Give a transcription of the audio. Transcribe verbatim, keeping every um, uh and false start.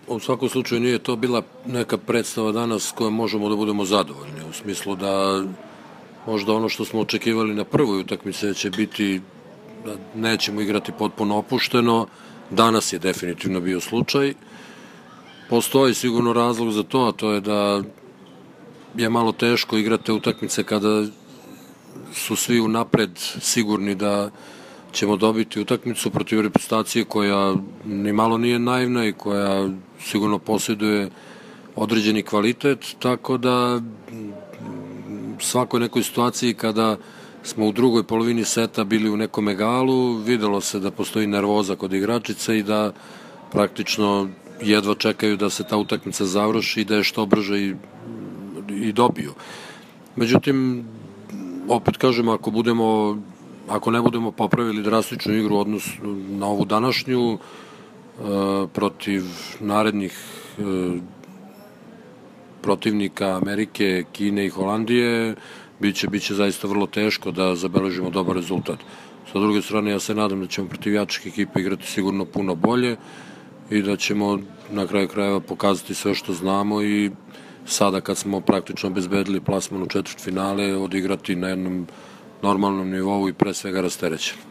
U svakom slučaju nije to bila neka predstava danas s kojom možemo da budemo zadovoljni, u smislu da možda ono što smo očekivali na prvoj utakmici će biti da nećemo igrati potpuno opušteno, danas je definitivno bio slučaj. Postoji sigurno razlog za to, a to je da je malo teško igrati utakmice kada su svi unapred sigurni da ćemo dobiti utakmicu protiv reprezentacije koja ni malo nije naivna i koja sigurno posjeduje određeni kvalitet, tako da svakoj nekoj situaciji kada smo u drugoj polovini seta bili u nekom egalu, videlo se da postoji nervoza kod igračica i da praktično jedva čekaju da se ta utakmica završi i da je što brže i, i dobiju. Međutim, opet kažem, ako budemo ako ne budemo popravili drastičnu igru odnos na ovu današnju e, protiv narednih e, protivnika Amerike, Kine i Holandije, biće, biće zaista vrlo teško da zabeležimo dobar rezultat. Sa druge strane, ja se nadam da ćemo protiv jačih ekipa igrati sigurno puno bolje i da ćemo na kraju krajeva pokazati sve što znamo i sada kad smo praktično obezbedili plasman u četvrtfinale odigrati na jednom normalnom nivou i pre svega rasterećen.